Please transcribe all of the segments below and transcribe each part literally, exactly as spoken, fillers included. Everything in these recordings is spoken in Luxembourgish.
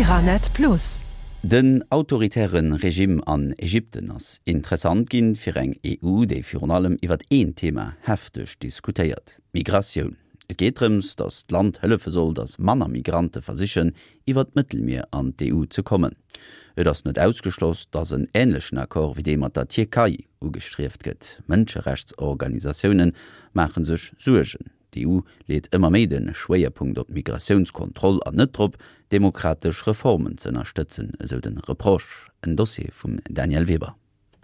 Caranet Plus. Den autoritäre Regimm an Ägypten ass interessant ginn fir eng E U, déi virun allem iwwer een Thema hefteg diskutéiert: Migratioun. Et geet drëms, datt d'Land hëllefe soll, datt manner Migrante versichen, iwwer d'Mëttelmier an d'E U ze kommen. Et ass net ausgeschloss, datt en änlechen Accord wéi dee mat der Tierkei ugestrieft gëtt. Mënscherechtsorganisatioune maache sech Suergen. D'E U leet ëmmer méi de Schwéierpunkt op Migratiounskontroll an net drop, demokratesch Reformen ze ënnerstëtzen, esou de Reproche. En Dossier vum Danièle Weber.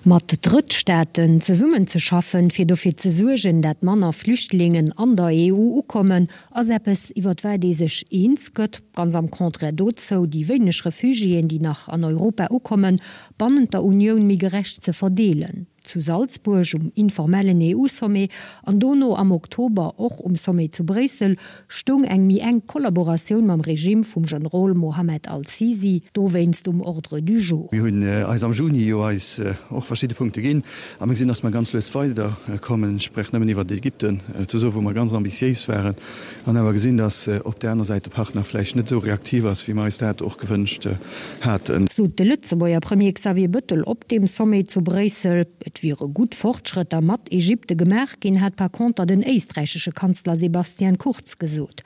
Mat Drëttstaaten zesummenzeschaffen, fir dofir ze suergen, dat manner Flüchtlingen an der E U ukommen, ass eppes, iwwer wat ee sech eens gëtt, ganz am Contraire dozou, déi wéineg Refugiéen, déi nach an Europa ukommen, bannent der Unioun méi gerecht ze verdeelen. Zu Salzburg um informellen E U-Sommet an dono am Oktober och um Sommet zu Bréissel stoung eng méi enk Kollaboratioun mam Regime vum Generol Mohammed al-Sisi dowéinst um Ordre du jour. Mir hunn eis am Juni jo eis och verschidde Punkte ginn a mir gesinn, dass mer ganz lues weiderkommen. Ech brauch nëmmen iwwer Ägypten ze soen, wou mer ganz ambitiéis waren an awer gesinn, dass op där aner Säit de Partner vläicht net esou reaktiv ass, wéi mer eis dat och gewënscht haten. Sot de Lëtzebuerger Premier Xavier Bettel op deem Sommet zu Bréissel. Et wiere gutt Fortschrëtter mat Ägypte gemaach ginn, hat par conter den éisträichesche Kanzler Sebastian Kurz gesot.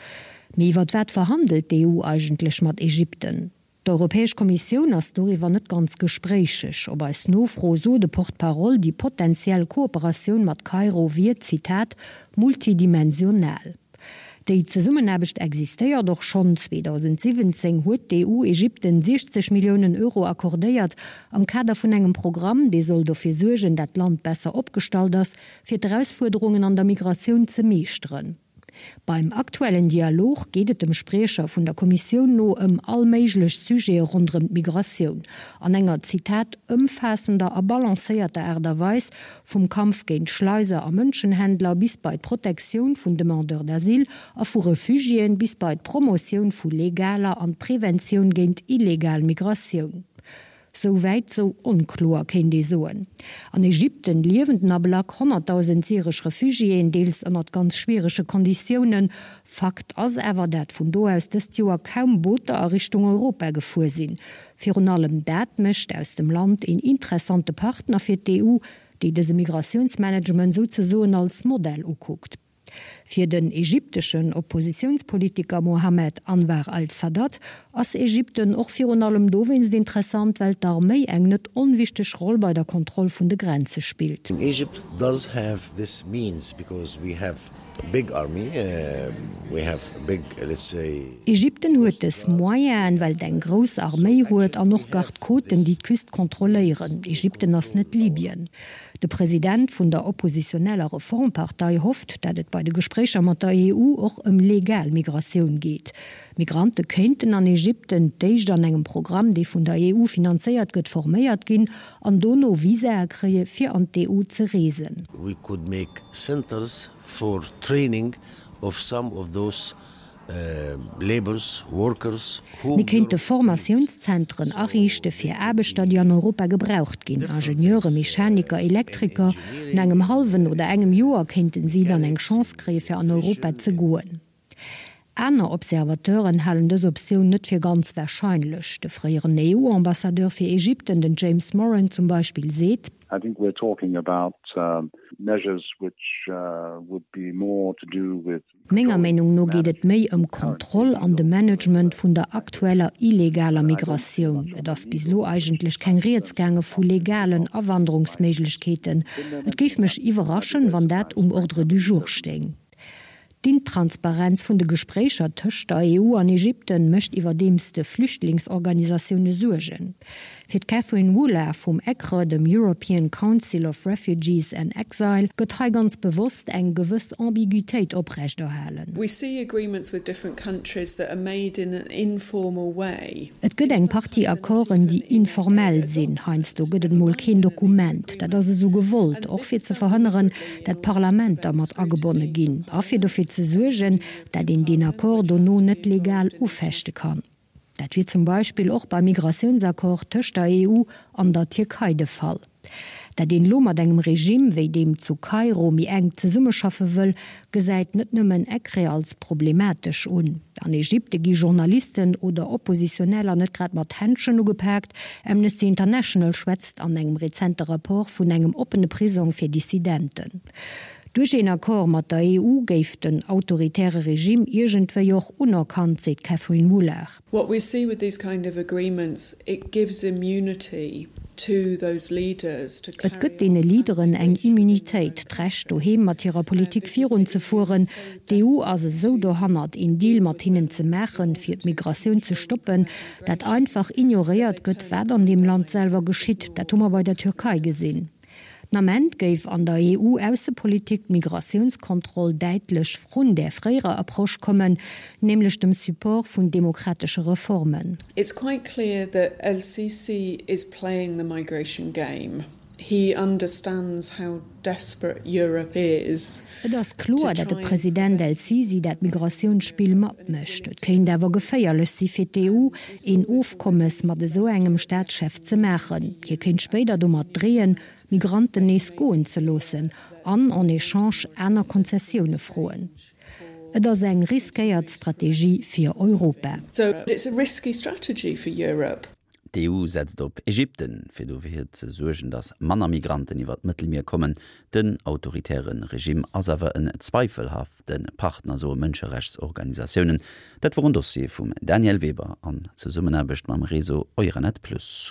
Mee iwwer wat verhandelt d'E U eigentlech mat Ägypten? D'Europäesch Kommissioun ass doriwwer net ganz gespréicheg. Op eis Nofro sot de Porte-parole, déi potentiell Kooperatioun mat Kairo wier, Zitat, multidimensional. Déi Zesummenaarbecht existéiert och schonn. zweedausendsiwwenzéng huet d'E U Ägypten siechzeg Milliounen Euro accordéiert am Kader vun engem Programm, dee soll dofir suergen, dat d'Land besser opgestallt ass, fir d'Erausfuerderungen an der Migratioun ze meeschteren. Beim aktuellen Dialog geet et dem Spriecher vun der Kommissioun no ëm all méiglech Sujete ronderëm d'Migratioun, an enger, Zitat, ëmfaassender a balancéierter Aart a Weis, vum Kampf géint Schleiser a Mënschenhändler bis bei d'Protektioun vun Demandeurs d'asile a vu Refugiéen bis bei d'Promotioun vu legaler an d'Preventioun géint illegal Migratioun. Sou wäit, sou onkloer, kéint ee soen. An Ägypten liewen den Ablack honnertdausend syresch Refugiéen, deels ënnert ganz schwierege Konditiounen. Fakt ass awer, dat vun do aus dëst Joer kaum Booter a Richtung Europa gefuer sinn. Virun allem dat mécht aus dem Land een interessante Partner fir d'E U, déi dëse Migratiounsmanagement souzesoen als Modell ukuckt. Fir den ägypteschen Oppositiounspolitiker Mohammed Anwar al-Sadat ass Ägypten och virun allem dowéinst interessant, well d'Arméi eng net onwichteg Roll bei der Kontroll vun de Grenze spillt. Egypt does have this means because we have a big army, we have a big, let's say. Ägypten huet dës Moyenen, well et eng grouss Arméi huet an och Garde-côten, déi d'Küst kontrolléieren. Ägypten ass net Libyen. De President vun der oppositioneller Reformpartei hofft, dat et bei de Gespréicher mat der E U och ëm legal Migratioun geet. Migrante kéinten an Ägypten d'éischt an engem Programm, dee vun der E U finanzéiert gëtt, forméiert ginn an dono Visae kréie fir an d'E U ze reesen. We could make centers for training of some of those labours, workers whom Mir kéinte Formatiounszentren ariichte fir Aarbechter, déi an Europa gebraucht ginn, Ingenieure, Mechaniker, Elektriker. No engem hallwen oder engem Joer kéinten si dann eng Chance kréie fir an Europa ze goen. Aner Observateuren halen dës Optioun net fir ganz warscheinlech. De fréieren E U-Ambassadeur fir Ägypten, den James Moran zum Beispill, seet. I think we're talking about measures which would be more to do with. Menger Meenung no geet et méi ëm Kontroll an de Management vun der aktueller illegaler Migratioun. Et ass bis elo eigentlech keng Rieds gaange vu legalen Awanderungsméiglechkeeten. Et géif mech iwwerraschen, wann dat um Ordre du jour stéing. D'Intransparenz vun de Gespréicher tëscht der E U an Ägypten mécht iwwerdeems de Flüchtlingsorganisatioune Suergen. Fir d'Catherine Wooler vum ECRE, dem European Council of Refugees and Exile, gëtt hei ganz bewosst eng gewëss Ambiguitéit oprechterhalen. We see agreements with different countries that are made in an informal way. Et gëtt eng Partie Accorden, déi informell sinn. Heiansdo gëtt et mol keen Dokument. Dat ass esou gewollt, och fir ze verhënneren, dat d'Parlamenter mat agebonne ginn a fir dofir ze suergen, dat een deen Accord dono net legal ufechte kann. Dat wier zum Beispill och beim Migratiounsaccord tëscht der E U an der Tierkei de Fall. Dat een elo mat engem Regime wéi deem zu Kairo méi enk zesummeschaffe wëll, gesäit net nëmmen EKRE als problematesch un. An Ägypte gi Journalisten oder Oppositioneller net grad mat Händschen ugepaakt. Amnesty International schwätzt an engem rezente Rapport vun engem oppene Prisong fir Dissidenten. Duerch een Accord mat der E U géif den autoritäre Regime iergendwéi och unerkannt, seet d'Catherine Wooler. What we see with these kind of agreements, it gives immunity to those leaders to Et gëtt deene Leaderen eng Immunitéit, d'Recht doheem mat hirer Politik virunzefueren. D'E U ass esou dohannert, een Deal mat hinnen ze maachen, fir d'Migratioun ze stoppen, dat einfach ignoréiert gëtt, wat an deem Land selwer geschitt. Dat hu mer bei der Türkei gesinn. Den Ament géif an der E U-Aussepolitik d'Migratiounskontroll däitlech vrun der fréierer Approche kommen, nämlech dem Support vun demokratesche Reformen. It's quite clear that El-Sisi is playing the migration game. He understands how desperate Europe is. Et ass kloer, datt de President El-Sisi dat Migratiounsspill matmécht. Et kéint awer geféierlech si fir d'E U, een Ofkommes mat esou engem Staatschef ze maachen. Hie kéint spéider domat dreeën, Migranten nees goen ze loossen an en échange aner Konzessioune froen. Et ass eng riskéiert Strategie fir Europa. So it's a risky strategy for Europe. D'E U setzt op Ägypten, fir dofir ze suergen, datt manner Migranten iwwer d'Mëttelmier kommen. Den autoritäre Regime ass awer en zweifelhafte Partner, soe Mënscherechtsorganisatiounen. Dat wor en Dossier vum Daniel Weber an Zesummenaarbecht mam Réseau Euranet Plus.